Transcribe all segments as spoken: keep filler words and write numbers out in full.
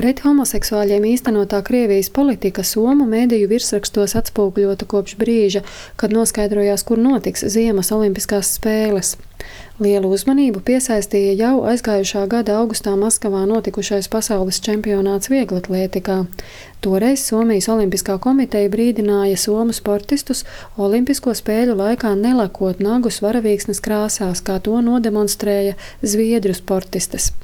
Pret homoseksuāļiem īstenotā Krievijas politika somu mediju virsrakstos atspoguļota kopš brīža, kad noskaidrojās, kur notiks ziemas olimpiskās spēles. Lielu uzmanību piesaistīja jau aizgājušā gada augustā Maskavā notikušais pasaules čempionāts vieglatlētikā. Toreiz Somijas Olimpiskā komiteja brīdināja somu sportistus olimpisko spēļu laikā nelakot nagus varavīksnes krāsās, kā to nodemonstrēja zviedru sportistes.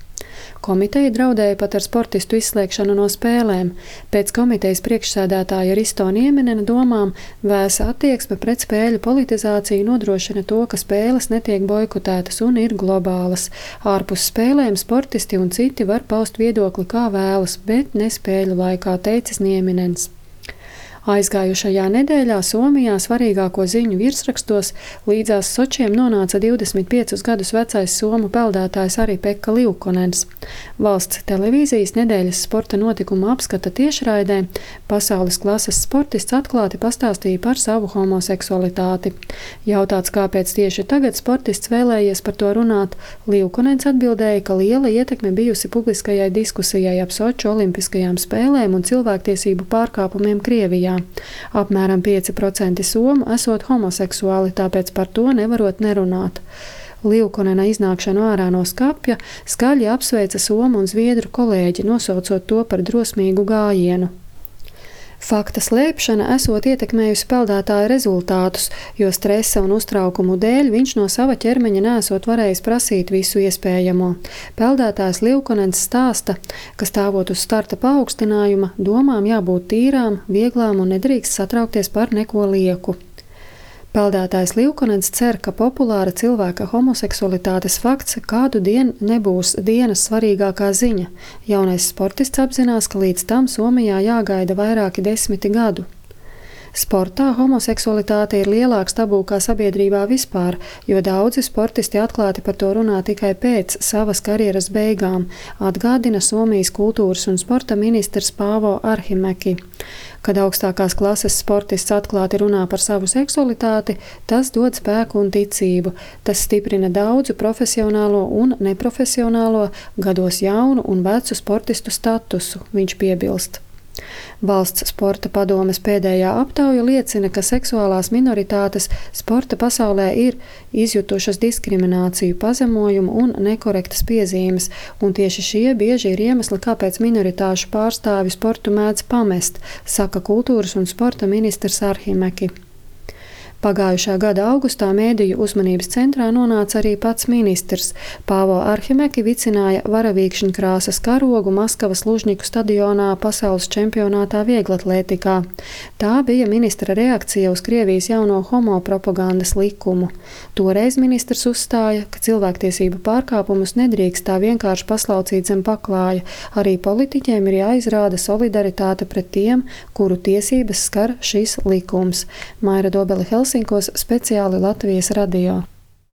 Komiteja draudēja pat ar sportistu izslēgšanu no spēlēm. Pēc komitejas priekšsēdētāja Risto Niemenena domām vēsa attieksme pret spēļu politizāciju nodrošina to, ka spēles netiek boikotētas un ir globālas. Ārpus spēlēm sportisti un citi var paust viedokli kā vēlas, bet ne spēļu laikā, teicis Niemenens. Aizgājušajā nedēļā Somijā svarīgāko ziņu virsrakstos līdzās Sočiem nonāca divdesmit piecus gadus vecais somu peldētājs arī Pekka Liukonens. Valsts televīzijas nedēļas sporta notikuma apskata tiešraidē pasaules klases sportists atklāti pastāstīja par savu homoseksualitāti. Jautāts, kāpēc tieši tagad sportists vēlējies par to runāt, Liukonens atbildēja, ka liela ietekme bijusi publiskajai diskusijai ap Soču olimpiskajām spēlēm un cilvēktiesību pārkāpumiem Krievijā. Apmēram pieci procenti somu esot homoseksuāli, tāpēc par to nevarot nerunāt. Liukonena iznākšanu ārā no skapja skaļi apsveica somu un zviedru kolēģi, nosaucot to par drosmīgu gājienu. Fakta slēpšana esot ietekmējusi peldētāja rezultātus, jo stresa un uztraukumu dēļ viņš no sava ķermeņa neesot varējis prasīt visu iespējamo. Peldētājs Liukonens stāsta, ka stāvot uz starta paaugstinājuma, domām jābūt tīrām, vieglām un nedrīkst satraukties par neko lieku. Peldētājs Liukonens cer, ka populāra cilvēka homoseksualitātes fakts kādu dienu nebūs dienas svarīgākā ziņa. Jaunais sportists apzinās, ka līdz tam Somijā jāgaida vairāki desmiti gadu. Sportā homoseksualitāte ir lielāks tabū kā sabiedrībā vispār, jo daudzi sportisti atklāti par to runā tikai pēc savas karjeras beigām, atgādina Somijas kultūras un sporta ministrs Paavo Arhimäki. Kad augstākās klases sportists atklāti runā par savu seksualitāti, tas dod spēku un ticību. Tas stiprina daudzu profesionālo un neprofesionālo, gados jaunu un vecu sportistu statusu, viņš piebilst. Valsts sporta padomes pēdējā aptauja liecina, ka seksuālās minoritātes sporta pasaulē ir izjutušas diskrimināciju, pazemojumu un nekorektas piezīmes, un tieši šie bieži ir iemesli, kāpēc minoritāšu pārstāvi sportu mēdz pamest, saka kultūras un sporta ministrs Arhimäki. Pagājušā gada augustā mēdīju uzmanības centrā nonāca arī pats ministrs. Paavo Arhimäki vicināja varavīkšņu krāsas karogu Maskavas Lužņiku stadionā pasaules čempionātā vieglatlētikā. Tā bija ministra reakcija uz Krievijas jauno homopropagandas likumu. Toreiz ministrs uzstāja, ka cilvēktiesību pārkāpumus nedrīkst tā vienkārši paslaucīt zem paklāja. Arī politiķiem ir jāizrāda solidaritāte pret tiem, kuru tiesības skar šis likums. Maira Dobele Helsinkos, speciāli Latvijas radio.